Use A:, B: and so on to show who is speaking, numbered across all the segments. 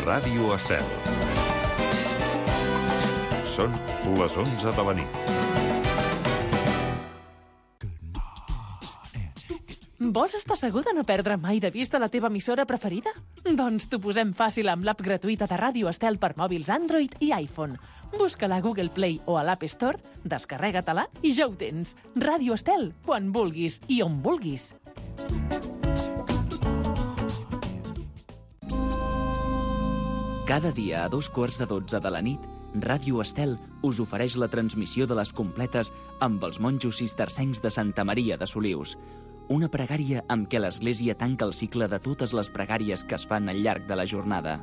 A: Ràdio Estel. Són les 11 de la nit.
B: Vols estar segur de no perdre mai de vista la teva emissora preferida? Doncs t'ho posem fàcil amb l'app gratuïta de Ràdio Estel per mòbils Android i iPhone. Busca-la a Google Play o a l'App Store, descarrega-te-la i ja ho tens. Ràdio Estel, quan vulguis i on vulguis.
C: Cada dia a 2:15 de la nit, Ràdio Estel us ofereix la transmissió de les completes amb els monjos cistercencs de Santa Maria de Solius. Una pregària amb què l'Església tanca el cicle de totes les pregàries que es fan al llarg de la jornada.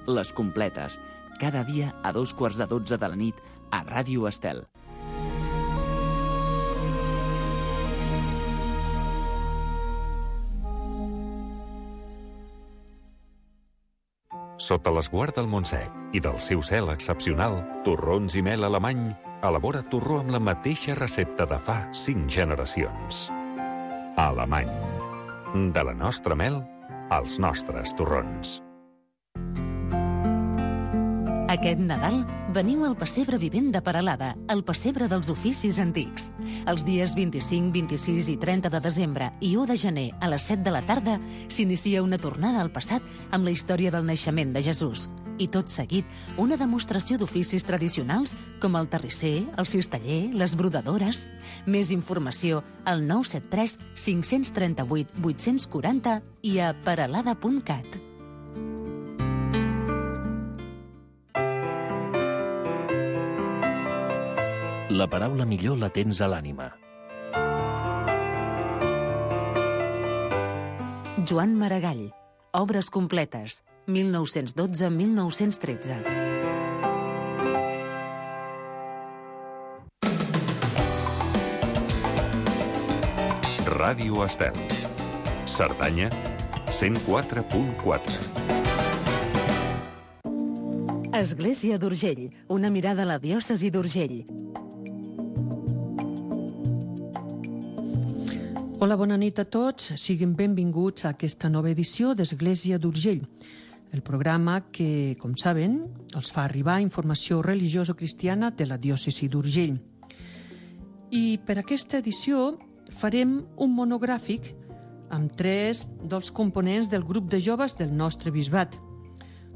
C: Les completes, cada dia a 2:15 de la nit a Ràdio Estel.
A: Sota l'esguard del Montsec i del seu cel excepcional, Torrons i Mel Alemany elabora torró amb la mateixa recepta de fa 5 generacions. Alemany. De la nostra mel als nostres torrons.
D: Aquest Nadal veniu al Pessebre Vivent de Peralada, el pessebre dels oficis antics. Els dies 25, 26 i 30 de desembre i 1 de gener a les 7 de la tarda s'inicia una tornada al passat amb la història del naixement de Jesús. I tot seguit, una demostració d'oficis tradicionals com el terrisser, el cisteller, les brodadores. Més informació al 973 538 840 i a peralada.cat.
E: La paraula millor la tens a l'ànima.
D: Joan Maragall. Obres completes. 1912-1913.
A: Ràdio Estel. Cerdanya, 104.4.
D: Església d'Urgell. Una mirada a la diòcesi d'Urgell.
F: Hola, bona nit a tots. Siguin benvinguts a aquesta nova edició d'Església d'Urgell, el programa que, com saben, els fa arribar informació religioso-cristiana de la diòcesi d'Urgell. I per aquesta edició farem un monogràfic amb 3 dels components del grup de joves del nostre bisbat.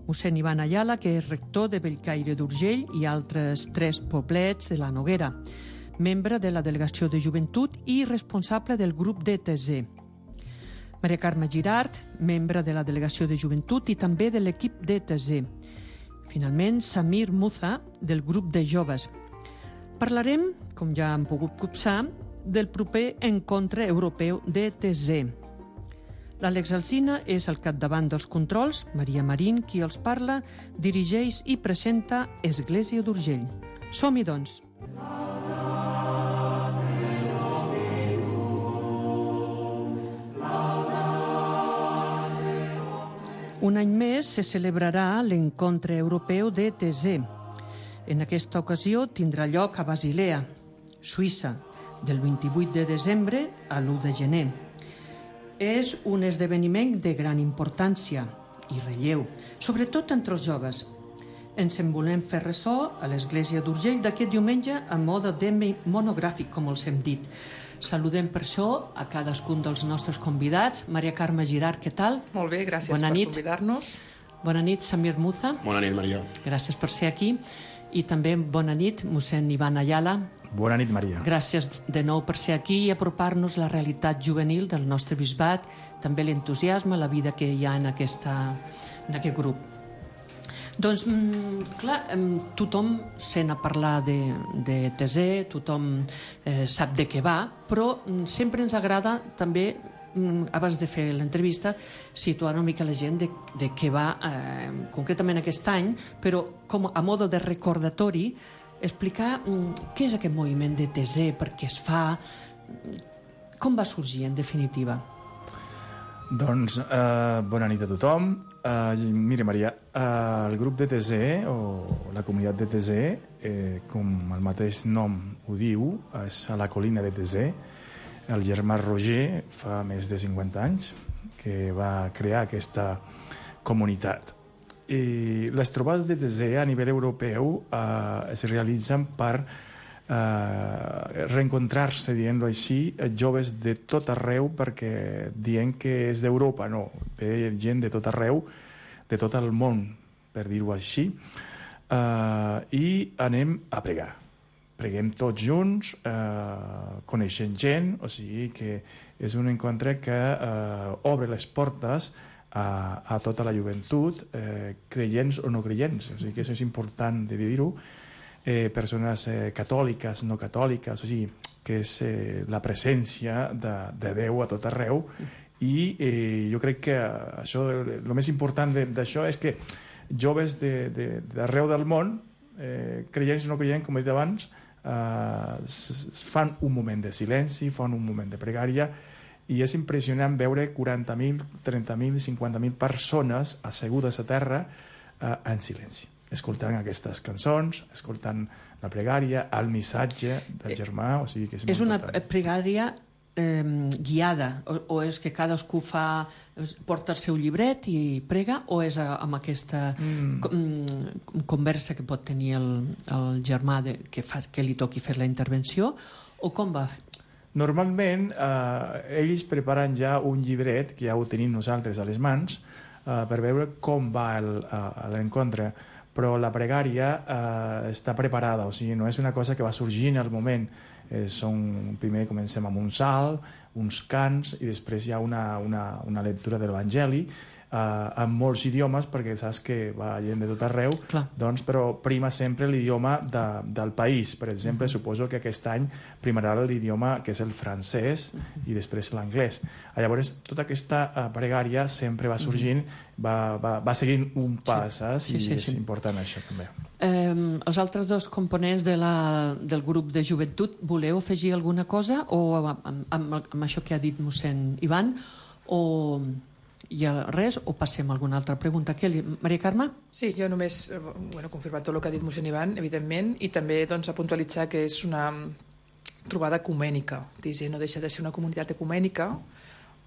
F: Mossèn Ivan Ayala, que és rector de Bellcaire d'Urgell, i altres 3 poblets de la Noguera, membre de la Delegació de Joventut i responsable del grup d'ETZ. Maria Carme Girart, membre de la Delegació de Joventut i també de l'equip d'ETZ. Finalment, Samir Muza, del grup de joves. Parlarem, com ja han pogut copsar, del proper encontre europeu d'ETZ. L'Àlex Alsina és al capdavant dels controls, Maria Marín, qui els parla, dirigeix i presenta Església d'Urgell. Som-hi, doncs! Un any més se celebrarà l'encontre europeu d'ETZ. En aquesta ocasió tindrà lloc a Basilea, Suïssa, del 28 de desembre a l'1 de gener. És un esdeveniment de gran importància i relleu, sobretot entre els joves. Ens en volem fer ressò a l'Església d'Urgell d'aquest diumenge a mode de monogràfic, com els hem dit. Saludem per això a cadascun dels nostres convidats. Maria Carme Girart, què tal?
G: Molt bé, gràcies
F: Bona
G: per
F: nit.
G: convidar-nos.
F: Bona nit, Samir Muza.
H: Bona nit, Maria.
F: Gràcies per ser aquí. I també bona nit, mossèn Ivan Ayala.
H: Bona nit, Maria.
F: Gràcies de nou per ser aquí i apropar-nos la realitat juvenil del nostre bisbat, també l'entusiasme, la vida que hi ha en aquest grup. Doncs, clar, tothom sent a parlar de TZ, tothom sap de què va, però sempre ens agrada també, abans de fer l'entrevista, situar una mica la gent de què va concretament aquest any, però com a mode de recordatori, explicar què és aquest moviment de TZ, per què es fa, com va sorgir en definitiva.
H: Doncs bona nit a tothom. Mira, Maria, el grup d'ETZ, o la comunitat d'ETZ, com el mateix nom ho diu, és a la colina d'ETZ. El germà Roger, fa més de 50 anys, que va crear aquesta comunitat. les trobades de DTZ a nivell europeu es realitzen per reencontrar-se, dient-ho així, joves de tot arreu, perquè dient que és d'Europa, no, ve gent de tot arreu, de tot el món, per dir-ho així, i anem a pregar. Preguem tots junts, coneixent gent, o sigui que és un encontre que obre les portes a tota la joventut, creients o no creients, o sigui que això és important de dir-ho, persones catòliques, no catòliques, o sigui, que és la presència de Déu a tot arreu, i jo crec que això, el més important d'això és que joves d'arreu del món, creients o no creients, com he dit abans, fan un moment de silenci, fan un moment de pregària, i és impressionant veure 40.000, 30.000, 50.000 persones assegudes a terra en silenci, escoltant aquestes cançons, escoltant la pregària, el missatge del germà, o sigui que és molt important.
F: És una pregària guiada, o és que cadascú porta el seu llibret i prega, o és amb aquesta conversa que pot tenir el germà que li toqui fer la intervenció, o com va?
H: Normalment ells preparen ja un llibret que ja ho tenim nosaltres a les mans per veure com va l'encontre, però la pregària està preparada, o sigui, no és una cosa que va sorgint al moment. Primer comencem amb un salt, uns cants, i després hi ha una lectura de l'Evangeli en molts idiomes, perquè saps que va gent de tot arreu, doncs, però prima sempre l'idioma del país. Per exemple, suposo que aquest any primarà l'idioma que és el francès i després l'anglès. Llavors, tota aquesta pregària sempre va sorgint, va seguint un pas, saps? I és important això també.
F: Els altres dos components del grup de joventut, voleu afegir alguna cosa o amb això que ha dit mossèn Ivan, o hi ha res, o passem a alguna altra pregunta? Maria Carme?
G: Sí, jo només confirmar tot el que ha dit mossèn Ivan, evidentment, i també a puntualitzar que és una trobada ecumènica. No deixa de ser una comunitat ecumènica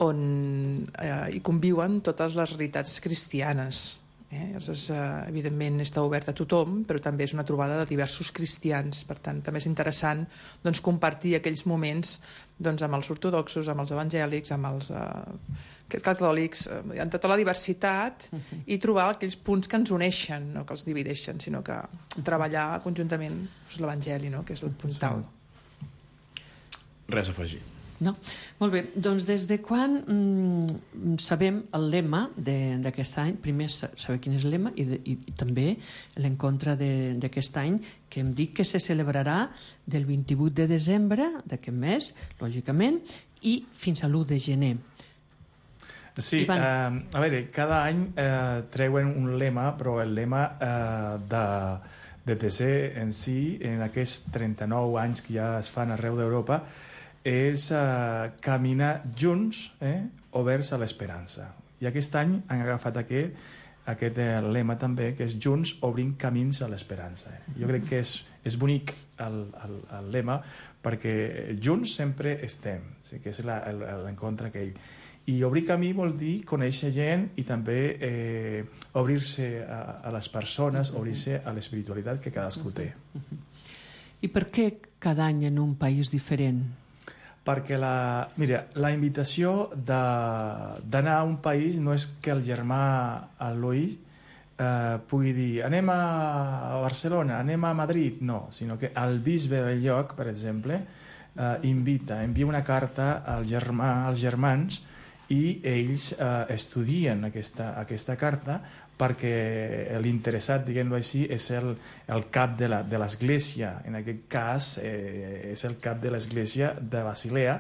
G: on hi conviuen totes les realitats cristianes. Llavors, evidentment està obert a tothom, però també és una trobada de diversos cristians. Per tant, també és interessant compartir aquells moments amb els ortodoxos, amb els evangèlics, amb els catòlics, en tota la diversitat, i trobar aquells punts que ens uneixen, no que els divideixen, sinó que treballar conjuntament l'evangeli, que és el puntal.
I: Res a afegir.
F: No? Molt bé, doncs des de quan sabem el lema d'aquest any? Primer saber quin és el lema i també l'encontre d'aquest any, que hem dit que se celebrarà del 28 de desembre d'aquest mes, lògicament, i fins a l'1 de gener.
H: Sí, a veure, cada any treuen un lema, però el lema de TC en si, en aquests 39 anys que ja es fan arreu d'Europa, és caminar junts, oberts a l'esperança. I aquest any han agafat aquest lema també, que és junts obrint camins a l'esperança. Jo crec que és bonic el lema, perquè junts sempre estem, que és l'encontre aquell. I obrir camí vol dir conèixer gent i també obrir-se a les persones, obrir-se a l'espiritualitat que cadascú té.
F: I per què cada any en un país diferent?
H: Perquè la invitació d'anar a un país no és que el germà Eloi pugui dir anem a Barcelona, anem a Madrid, no, sinó que el bisbe del lloc, per exemple, envia una carta als germans i ells estudien aquesta carta perquè l'interessat, diguem-ho així, és el cap de l'església. En aquest cas és el cap de l'església de Basilea,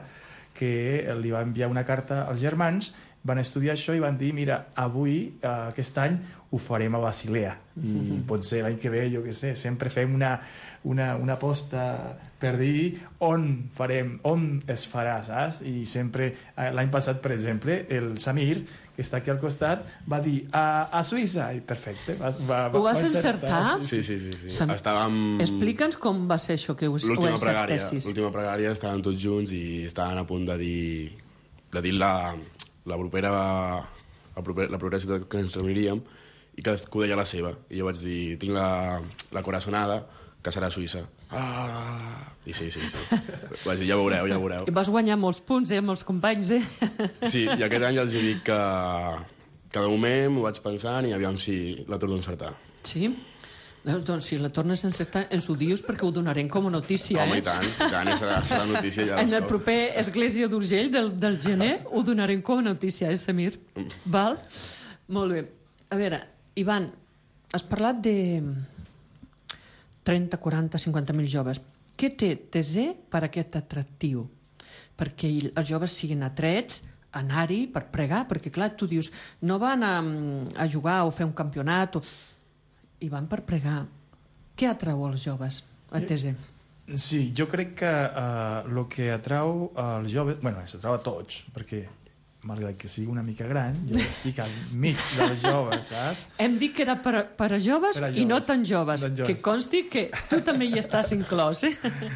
H: que li va enviar una carta als germans, van estudiar això i van dir, mira, avui, aquest any, ho farem a Basilea. I potser l'any que ve, jo què sé, sempre fem una aposta per dir on es farà, saps? I sempre, l'any passat, per exemple, el Samir, que està aquí al costat, va dir a Suïssa, i perfecte.
F: Ho vas encertar?
I: Sí. Estàvem...
F: Explica'ns com va ser això que ho encertessis.
I: L'última pregària estàvem tots junts i estàvem a punt de dir la propera ciutat que ens reuniríem, i cadascú deia la seva. I jo vaig dir, tinc la corazonada, que serà Suïssa. I sí. Vaig dir, ja veureu.
F: I vas guanyar molts punts, amb els companys,
I: Sí, i aquest any els dic que de moment m'ho vaig pensant i aviam si la torno a encertar.
F: Sí? Doncs si la tornes a encertar, ens ho dius perquè ho donarem com a notícia,
I: Home, i tant, serà notícia. Ja
F: en el proper Església d'Urgell del gener ho donarem com a notícia, Samir? Val? Molt bé. A veure, Ivan, has parlat de 30, 40, 50.000 joves. Què té TZ per aquest atractiu? Perquè els joves siguin atrets, anar-hi per pregar, perquè clar, tu dius, no van a jugar o fer un campionat i van per pregar. Què atrau als joves a TZ?
H: Sí, jo crec que el que atrau als joves... Bueno, s'atrau a tots, perquè malgrat que sigui una mica gran, jo estic al mig dels joves, saps?
F: Hem dit que era per a joves i no tan joves. Que consti que tu també hi estàs inclòs,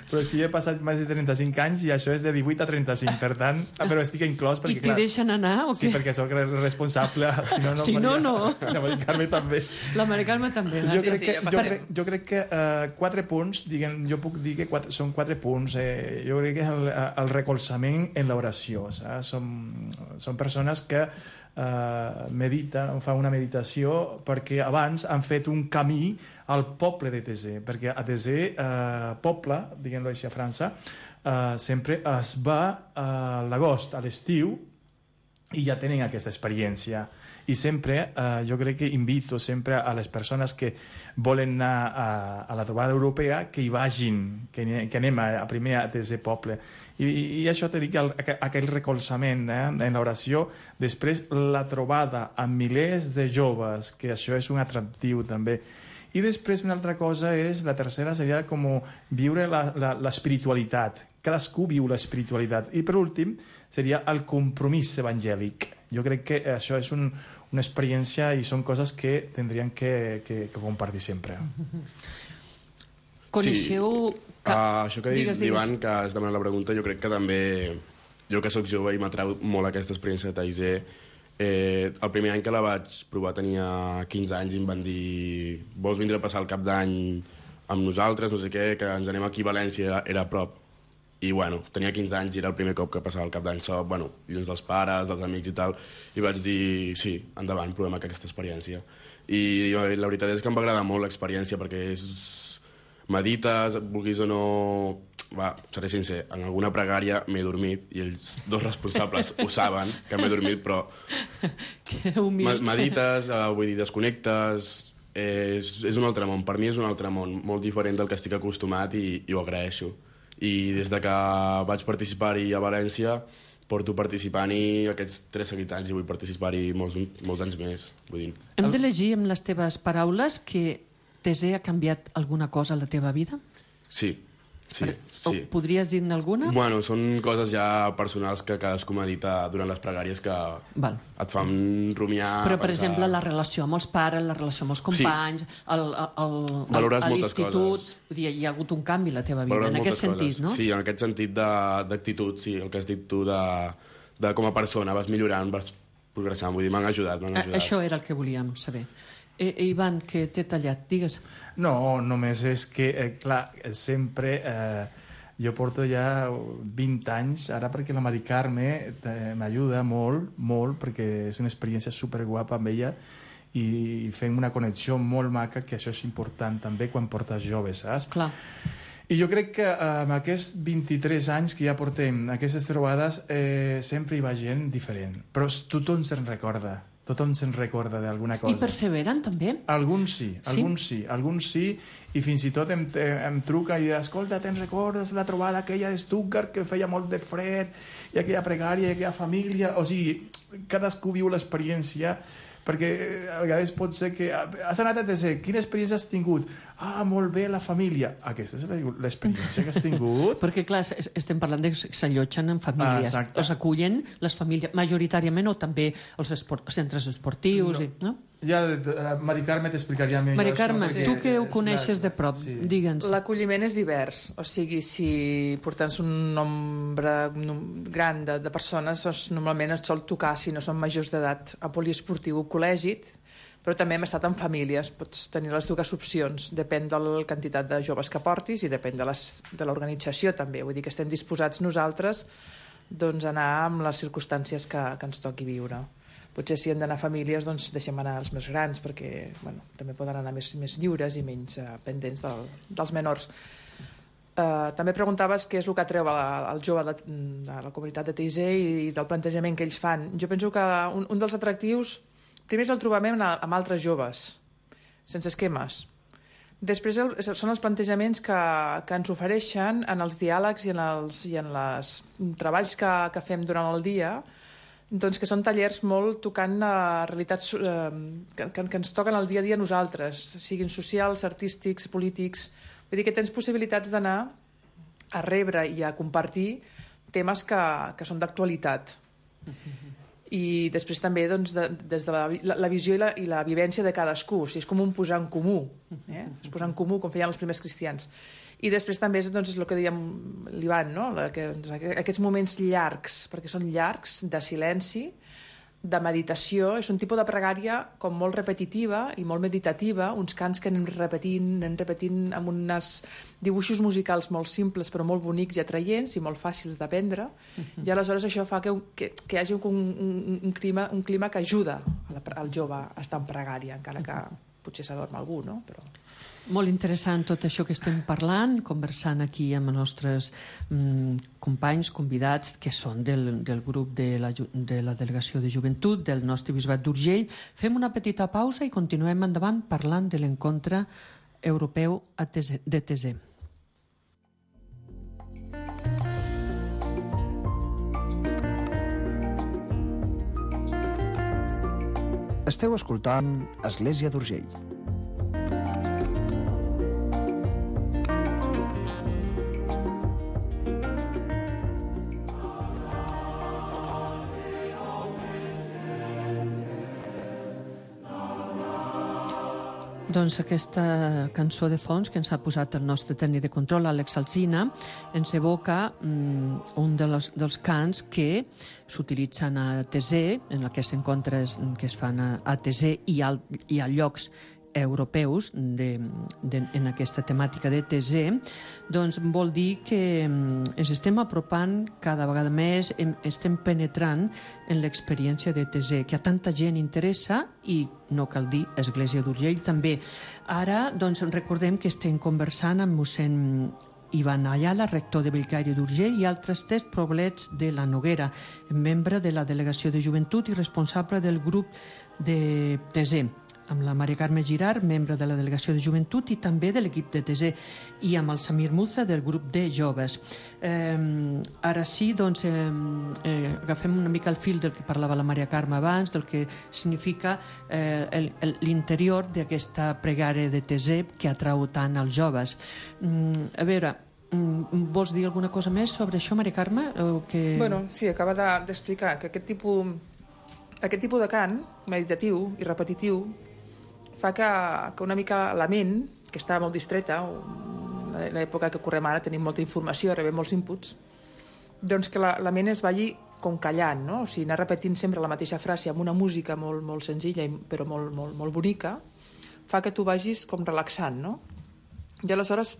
H: Però és que jo he passat més de 35 anys i això és de 18 a 35, per tant, però estic inclòs perquè,
F: I t'hi deixen anar, o què?
H: Sí, perquè sóc responsable,
F: si no, no.
H: La Mari Carme també.
F: La Mari Carme també.
H: Jo crec que 4 punts, jo puc dir que són 4 punts. Jo crec que és el recolzament en l'oració, saps? Són persones que mediten, fan una meditació perquè abans han fet un camí al poble de TZ, perquè a TZ, poble, diguem-ho així a França, sempre es va a l'agost, a l'estiu, i ja tenen aquesta experiència. I sempre, jo crec que invito sempre a les persones que volen anar a la trobada europea que hi vagin, que anem primer a TZ Poble. I això t'he dit aquell recolzament en l'oració. Després la trobada amb milers de joves, que això és un atractiu també. I després una altra cosa és, la tercera seria com viure l'espiritualitat. Cadascú viu l'espiritualitat. I per últim seria el compromís evangèlic. Jo crec que això és una experiència i són coses que tindrien que compartir sempre.
F: Coneixeu...
I: Això que ha dit l'Ivan, que has demanat la pregunta, jo crec que també, jo que sóc jove i m'atrau molt aquesta experiència de Taizé, el primer any que la vaig provar tenia 15 anys i em van dir vols vindre a passar el cap d'any amb nosaltres, no sé què, que ens anem aquí a València, era a prop. I bueno, tenia 15 anys i era el primer cop que passava el cap d'any sol, lluny dels pares, dels amics i tal, i vaig dir, sí, endavant, provem aquesta experiència. I la veritat és que em va agradar molt l'experiència perquè medites, vulguis o no... seré sincer, en alguna pregària m'he dormit i els dos responsables ho saben, que m'he dormit, però medites, vull dir, desconnectes, és un altre món, per mi és un altre món, molt diferent del que estic acostumat i ho agraeixo. I des de que vaig participar-hi a València porto participant-hi aquests 3 seguits anys i vull participar-hi molts anys més. Vull dir.
F: Hem de llegir amb les teves paraules que TZ ha canviat alguna cosa a la teva vida?
I: Sí.
F: Podries dir-ne alguna?
I: Bueno, són coses ja personals que cadascú medita durant les pregàries que et fan rumiar...
F: Però, per exemple, la relació amb els pares, la relació amb els companys,
I: valores moltes coses.
F: Vull dir, hi ha hagut un canvi a la teva vida, en aquest sentit, no?
I: Sí, en aquest sentit d'actitud, sí, el que has dit tu de com a persona, vas millorant, vas progressant, vull dir, m'han ajudat.
F: Això era el que volíem saber. Ivan, que t'he tallat, digues.
H: No, només és que, clar, sempre jo porto ja 20 anys, ara perquè la Mari Carme m'ajuda molt, perquè és una experiència superguapa amb ella i fem una connexió molt maca, que això és important també quan portes joves, saps?
F: Clar.
H: I jo crec que amb aquests 23 anys que ja portem aquestes trobades sempre hi va gent diferent, però tothom se'n recorda. Tothom se'n recorda d'alguna cosa.
F: I perseveren, també?
H: Alguns sí, i fins i tot em truca i escolta, te'n recordes la trobada aquella de Stuttgart que feia molt de fred, i aquella pregària, i aquella família... O sigui, cadascú viu l'experiència, perquè a vegades pot ser que has anat a TC, quina experiència has tingut? Molt bé, la família. Aquesta és l'experiència que has tingut?
F: Perquè, clar, estem parlant de que s'allotgen en famílies. O s'acullen les famílies, majoritàriament, o també els centres esportius, no?
H: Ja, Mari Carme t'explicaria millor.
F: Mari Carme, tu que ho coneixes de prop, digue'ns.
G: L'acolliment és divers, o sigui, si portant un nombre gran de persones, normalment es sol tocar, si no són majors d'edat, a poliesportiu o col·legi, Però també hem estat en famílies, pots tenir les dues opcions, depèn de la quantitat de joves que portis i depèn de l'organització també, vull dir que estem disposats nosaltres doncs, a anar amb les circumstàncies que ens toqui viure. Potser si hem d'anar a famílies, doncs deixem anar els més grans, perquè bueno, també poden anar més lliures i menys pendents dels menors. També preguntaves què és el que atreu el jove de la comunitat de TIC i del plantejament que ells fan. Jo penso que un dels atractius, primer és el trobament amb altres joves, sense esquemes. Després són els plantejaments que ens ofereixen en els diàlegs i en els treballs que fem durant el dia, doncs que són tallers molt tocant realitats que ens toquen el dia a dia a nosaltres, siguin socials, artístics, polítics. Vull dir que tens possibilitats d'anar a rebre i a compartir temes que són d'actualitat. I després també doncs, des de la visió i la vivència de cadascú, o sigui, és com un posar en comú, és posar en comú com feien els primers cristians. I després també és el que dèiem l'Ivan, no? Aquests moments llargs, perquè són llargs, de silenci, de meditació, és un tipus de pregària com molt repetitiva i molt meditativa, uns cants que anem repetint amb uns dibuixos musicals molt simples però molt bonics i atraients i molt fàcils d'aprendre, i aleshores això fa que hi hagi un clima que ajuda al jove a estar en pregària, encara que potser s'adorm algú, no? Però...
F: Molt interessant tot això que estem parlant, conversant aquí amb els nostres companys, convidats, que són del grup de la Delegació de Joventut del nostre Bisbat d'Urgell. Fem una petita pausa i continuem endavant parlant de l'encontre europeu de TC.
J: Esteu escoltant Església d'Urgell.
F: Doncs aquesta cançó de fons que ens ha posat el nostre tècnic de control, Àlex Alsina, ens evoca un dels cants que s'utilitzen a TC, en aquests encontres que es fan a TC i a llocs europeus en aquesta temàtica de TC, doncs vol dir que ens estem apropant cada vegada més, estem penetrant en l'experiència de TC, que a tanta gent interessa i no cal dir Església d'Urgell també. Ara, doncs, recordem que estem conversant amb mossèn Ivan Ayala, rector de Bellcaire d'Urgell, i altres 3 poblets de la Noguera, membre de la Delegació de Joventut i responsable del grup de TC, amb la Maria Carme Girard, membre de la Delegació de Joventut i també de l'equip de TC, i amb el Samir Muza del grup de joves. Ara sí, doncs, agafem una mica el fil del que parlava la Maria Carme abans, del que significa l'interior d'aquesta pregària de TC que atrau tant als joves. A veure, vols dir alguna cosa més sobre això, Maria Carme?
G: Bueno, sí, acaba d'explicar que aquest tipus de cant meditatiu i repetitiu fa que una mica la ment, que està molt distreta, en l'època que correm ara tenim molta informació, rebem molts inputs, doncs que la ment es vagi com callant, no? O sigui, anar repetint sempre la mateixa frase amb una música molt, molt senzilla però molt, molt, molt bonica, fa que tu vagis com relaxant, no? I aleshores,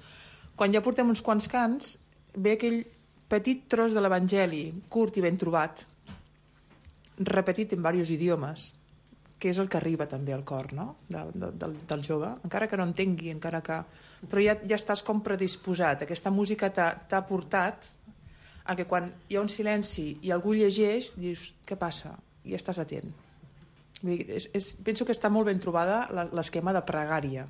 G: quan ja portem uns quants cants, ve aquell petit tros de l'Evangeli, curt i ben trobat, repetit en diversos idiomes, que és el que arriba també al cor, no? del jove, encara que no entengui, però ja estàs com predisposat. Aquesta música t'ha portat a que quan hi ha un silenci i algú llegeix, dius, què passa? I estàs atent. Vull dir, penso que està molt ben trobada l'esquema de pregària.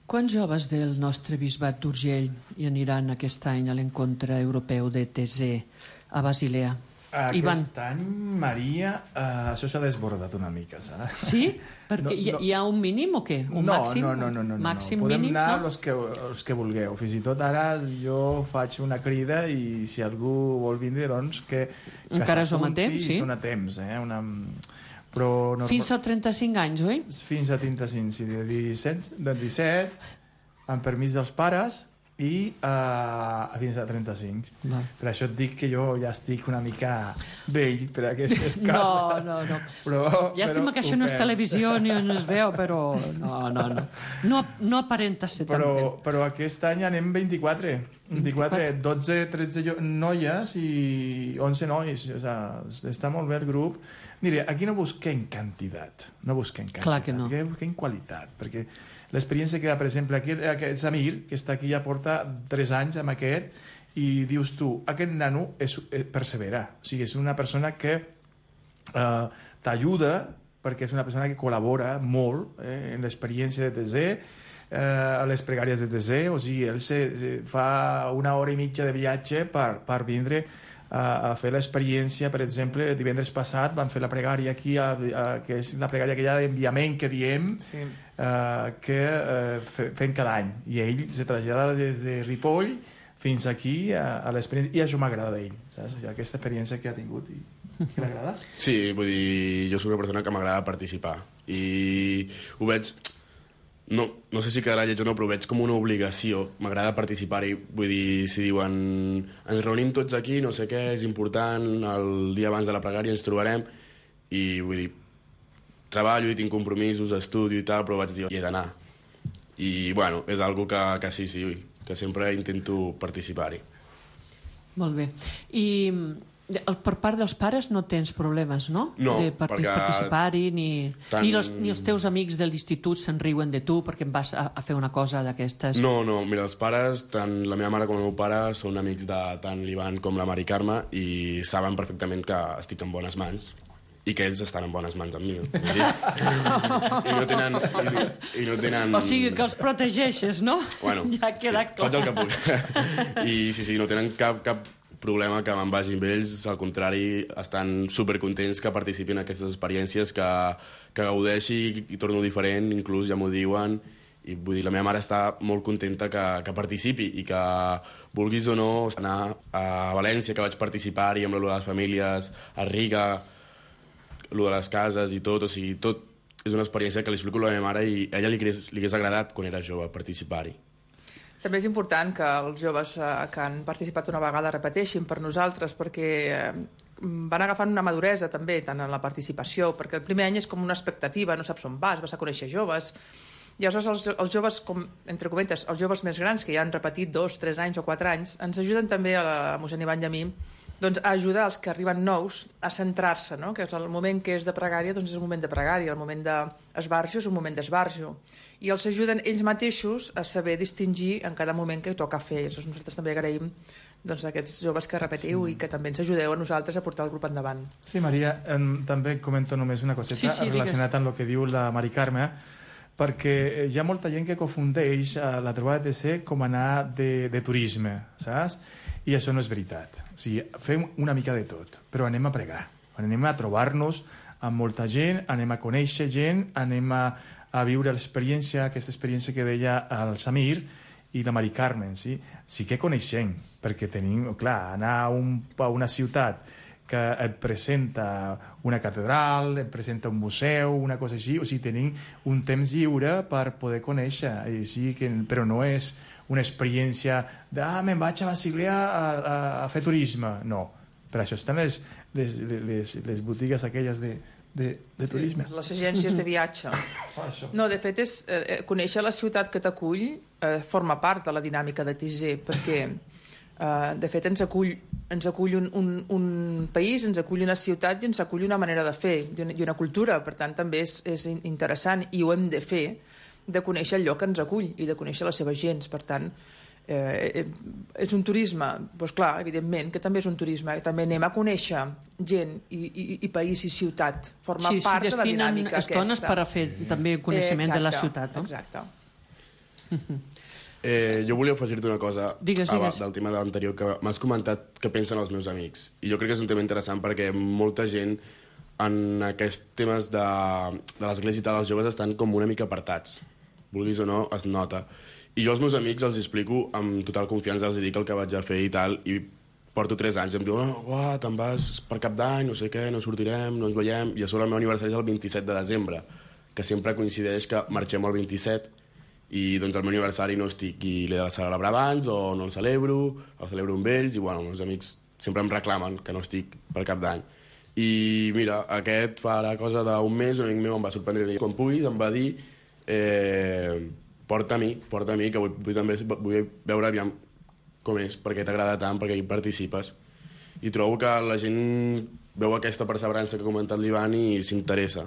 F: Quants joves del nostre bisbat d'Urgell hi aniran aquest any a l'encontre europeu de TC a Basilea?
H: Aquest any, Maria, això s'ha desbordat una mica, saps?
F: Sí? Perquè hi ha un mínim o què? Un màxim?
H: No.
F: Màxim,
H: podem
F: mínim,
H: anar
F: no?
H: els que vulgueu. Fins i tot ara jo faig una crida i si algú vol vindre, doncs que
F: encara som a temps, sí?
H: Són a temps, Però
F: fins a 35 anys, oi?
H: Fins a 35, sí. De 17, amb permís dels pares, i fins a 35.
F: Va.
H: Per això et dic que jo ja estic una mica vell per aquestes cases.
F: No.
H: Però
F: Llàstima que això no és televisió ni no es veu, però no aparenta ser tan vell.
H: Però aquest any anem 24, 12, 13 noies i 11 nois. O sigui, està molt bé el grup. Mira, aquí no busquem quantitat,
F: Clar que no.
H: busquem qualitat, perquè l'experiència que, per exemple, aquest Samir, que està aquí ja porta 3 anys amb aquest, i dius tu, aquest nano persevera. O sigui, és una persona que t'ajuda, perquè és una persona que col·labora molt en l'experiència de TZ, a les pregàries de TZ, o sigui, ell fa 1 hora i mitja de viatge per vindre a fer l'experiència. Per exemple, divendres passat van fer la pregària aquí, que és la pregària aquella d'enviament que diem, que fem cada any, i ell se trasllada des de Ripoll fins aquí a l'experiència, i això m'agrada d'ell, saps? Aquesta experiència que ha tingut i que l'agrada.
I: Sí, vull dir, jo soc una persona que m'agrada participar i ho veig, no sé si quedarà lleig o no, però ho veig com una obligació. M'agrada participar-hi. Vull dir, si diuen ens reunim tots aquí, no sé què, és important, el dia abans de la pregària ens trobarem, i vull dir, treballo i tinc compromisos, estudio i tal, però vaig dir, hi he d'anar. I, bueno, és algo que sí, que sempre intento participar-hi.
F: Molt bé. I per part dels pares no tens problemes, no?
I: No,
F: de participar-hi, ni els teus amics de l'institut se'n riuen de tu perquè em vas a fer una cosa d'aquestes?
I: No, mira, els pares, tant la meva mare com el meu pare, són amics de tant l'Ivan com la Mari Carme i saben perfectament que estic en bones mans i que ells estan en bones mans amb mi. I no tenen...
F: O sigui, que els protegeixes, no?
I: Bueno,
F: ja queda clar.
I: faig el que puc. I sí, no tenen cap problema que me'n vagi amb ells, al contrari, estan supercontents que participi en aquestes experiències, que gaudeixi i torno diferent, inclús ja m'ho diuen, i vull dir, la meva mare està molt contenta que participi i que vulguis o no anar a València, que vaig participar-hi amb lo de les famílies, a Riga, lo de les cases i tot, o sigui, tot és una experiència que li explico a la meva mare i a ella li hagués agradat quan era jove participar-hi.
G: També és important que els joves que han participat una vegada repeteixin per nosaltres, perquè van agafant una maduresa també, tant en la participació, perquè el primer any és com una expectativa, no saps on vas a conèixer joves, i aleshores els joves, com, entre cometes, els joves més grans, que ja han repetit 2, 3 anys o 4 anys, ens ajuden també a mossèn Ivan i a mi, doncs, a ajudar els que arriben nous a centrar-se, no? Que és el moment que és de pregària, doncs és el moment de pregària, el moment d'esbarjo és un moment d'esbarjo, i els ajuden ells mateixos a saber distingir en cada moment que toca fer. Llavors nosaltres també agraïm doncs, a aquests joves que repetiu i que també ens ajudeu a nosaltres a portar el grup endavant.
H: Sí, Maria, també comento només una coseta relacionat amb el que diu la Mari Carme, perquè hi ha molta gent que confundeix la trobada de TC com anar de turisme, saps? I això no és veritat. O sigui, fem una mica de tot, però anem a pregar, anem a trobar-nos amb molta gent, anem a conèixer gent, anem a viure l'experiència, aquesta experiència que deia el Samir i la Mari Carmen, sí? Sí que coneixem, perquè tenim, clar, anar a una ciutat que et presenta una catedral, et presenta un museu, una cosa així, o sigui, tenim un temps lliure per poder conèixer, sí, però no és una experiència de, me'n vaig a Basilea a fer turisme. No, per això estan les botigues aquelles de turisme.
G: Sí, les agències de viatge. No, de fet, conèixer la ciutat que t'acull forma part de la dinàmica de TG, perquè de fet ens acull un país, ens acull una ciutat i ens acull una manera de fer i una cultura, per tant també és interessant i ho hem de fer, de conèixer el lloc que ens acull i de conèixer les seves gens. Per tant, és un turisme, doncs clar, evidentment que també és un turisme, també anem a conèixer gent i país i ciutat, forma part de la dinàmica aquesta.
F: Estones per a fer també coneixement de la ciutat, no?
G: Exacte.
I: Jo volia afegir-te una cosa
F: digues.
I: Del tema de l'anterior, que m'has comentat que pensen els meus amics, i jo crec que és un tema interessant perquè molta gent en aquests temes de l'església i tal, els joves estan com una mica apartats, vulguis o no, es nota. I jo als meus amics els explico amb total confiança, els dic el que vaig a fer i tal, i porto 3 anys, em diuen, te'n vas per Cap d'Any, no sé què, no sortirem, no ens veiem, i a sobre el meu aniversari és el 27 de desembre, que sempre coincideix que marxem el 27, I doncs el meu aniversari no estic i l'he de celebrar abans o no el celebro amb ells i bueno, els meus amics sempre em reclamen que no estic per cap d'any. I mira, aquest fa la cosa d'un mes, un amic meu em va sorprendre quan puguis, em va dir porta a mi, que vull veure aviam com és, perquè t'agrada tant, perquè hi participes. I trobo que la gent veu aquesta perseverança que ha comentat l'Ivan i s'interessa.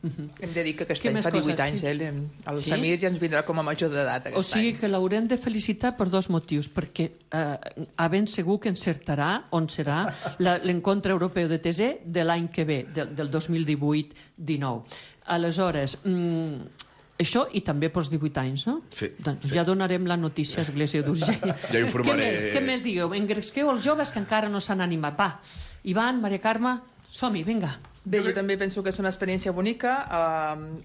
G: Hem de dir que aquest any fa 18 anys, el Samir ja ens vindrà com a major d'edat.
F: O sigui que l'haurem de felicitar per dos motius, perquè ben segur que encertarà on serà l'encontre europeu de TESE de l'any que ve, del 2018-19. Aleshores, això i també pels 18 anys, no?
I: Sí.
F: Doncs ja donarem la notícia a Església d'Urgell.
I: Ja informaré.
F: Què més digueu? Engresqueu els joves que encara no s'han animat. Va, Ivan, Maria Carme, som-hi, vinga.
G: Bé, jo també penso que és una experiència bonica.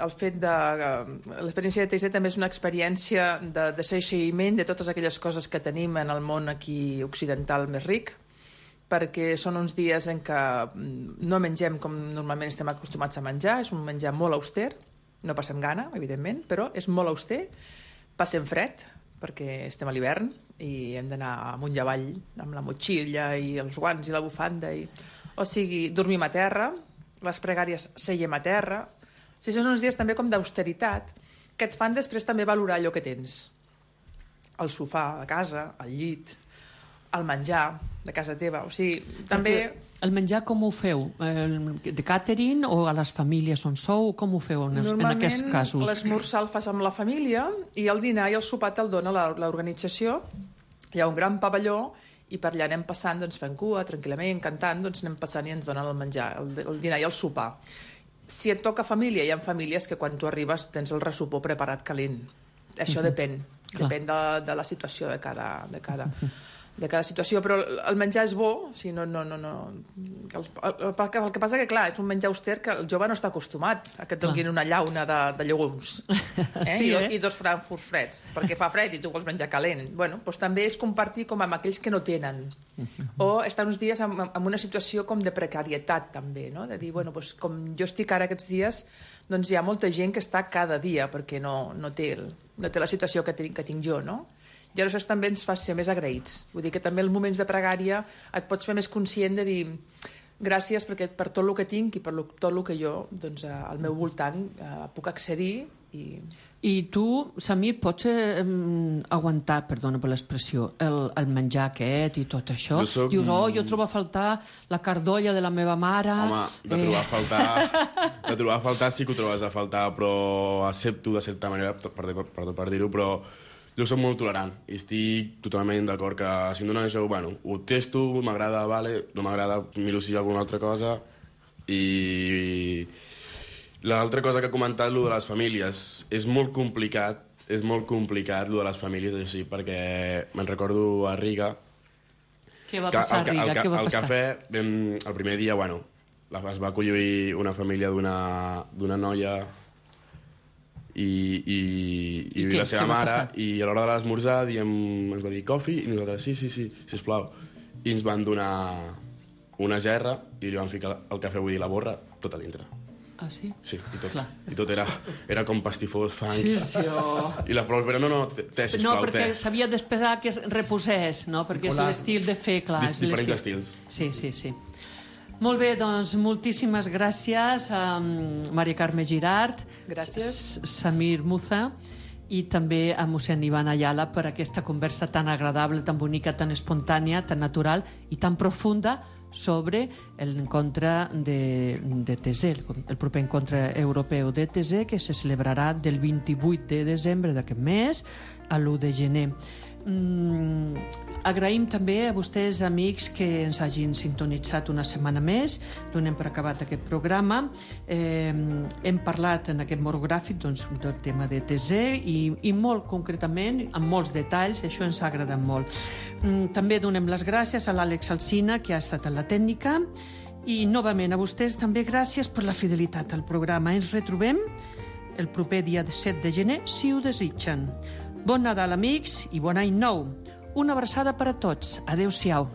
G: L'experiència de TESE també és una experiència de seguiment de totes aquelles coses que tenim en el món aquí occidental més ric, perquè són uns dies en què no mengem com normalment estem acostumats a menjar, és un menjar molt auster, no passem gana, evidentment, però és molt auster, passem fred, perquè estem a l'hivern i hem d'anar amunt i avall amb la motxilla i els guants i la bufanda. O sigui, dormim a terra, les pregàries seiem a terra. O sigui, són uns dies també com d'austeritat que et fan després també valorar allò que tens. El sofà de casa, el llit, el menjar de casa teva. O sigui, també...
F: El menjar com ho feu? De catering o a les famílies on sou? Com ho feu en aquests casos?
G: Normalment l'esmorzar el fas amb la família i el dinar i el sopar te'l dona l'organització. Hi ha un gran pavelló i per allà anem passant, doncs fent cua, tranquil·lament, cantant, doncs anem passant i ens donen el menjar, el dinar i el sopar. Si et toca família, hi ha famílies que quan tu arribes tens el ressopor preparat calent. Això depèn de la situació de cada situació, però el menjar és bo, si no. El que passa que, clar, és un menjar auster que el jove no està acostumat a que et donin una llauna de llegums i dos frankfurts freds, perquè fa fred i tu vols menjar calent. Bueno, doncs també és compartir com amb aquells que no tenen, o estar uns dies en una situació com de precarietat també, no? De dir, bueno, doncs com jo estic ara aquests dies, doncs hi ha molta gent que està cada dia perquè no té la situació que tinc jo, no? I això també ens fa ser més agraïts. Vull dir que també els moments de pregària et pots fer més conscient de dir gràcies per tot el que tinc i per tot el que jo doncs, al meu voltant puc accedir.
F: I tu, Samir, pots aguantar, perdona per l'expressió, el menjar aquest i tot això? Dius, jo trobo a faltar la cardolla de la meva mare...
I: Home, de trobar a faltar sí que ho trobes a faltar, però accepto de certa manera, per dir-ho, però jo soc molt tolerant i estic totalment d'acord que si em donen això, bueno, ho testo, m'agrada, vale, no m'agrada, miro si hi ha alguna altra cosa. I l'altra cosa que ha comentat, lo de les famílies, és molt complicat, lo de les famílies, així, perquè me'n recordo a Riga.
F: Què va passar a Riga?
I: Al cafè, el primer dia, bueno, es va acollir una família d'una noia i la seva mare, i a l'hora de l'esmorzar ens va dir coffee, i nosaltres sí, sisplau, i ens van donar una gerra i li van ficar el cafè, vull dir, la borra, tot a dintre.
F: Ah, sí?
I: Sí, i tot era com pastifós, fang.
F: Sí.
I: I la prou, però no, sisplau,
F: no, perquè s'havia d'esperar que reposés, no? Perquè és l'estil de fer, clar.
I: Diferents estils.
F: Sí. Molt bé, doncs moltíssimes gràcies a Maria Carme Girart,
G: gràcies,
F: Samir Muza i també a mossèn Ivan Ayala per aquesta conversa tan agradable, tan bonica, tan espontània, tan natural i tan profunda sobre l'encontre de TESE, el proper encontre europeu de TESE, que se celebrarà del 28 de desembre d'aquest mes a l'1 de gener. Agraïm també a vostès, amics, que ens hagin sintonitzat una setmana més. Donem per acabat aquest programa. Hem parlat en aquest monogràfic del tema de TESE i molt concretament, amb molts detalls, això ens ha agradat molt. També donem les gràcies a l'Àlex Alsina, que ha estat a la tècnica, i novament a vostès també gràcies per la fidelitat al programa. Ens retrobem el proper dia 7 de gener, si ho desitgen. Bon Nadal, amics, i bon any nou. Una abraçada per a tots. Adéu-siau.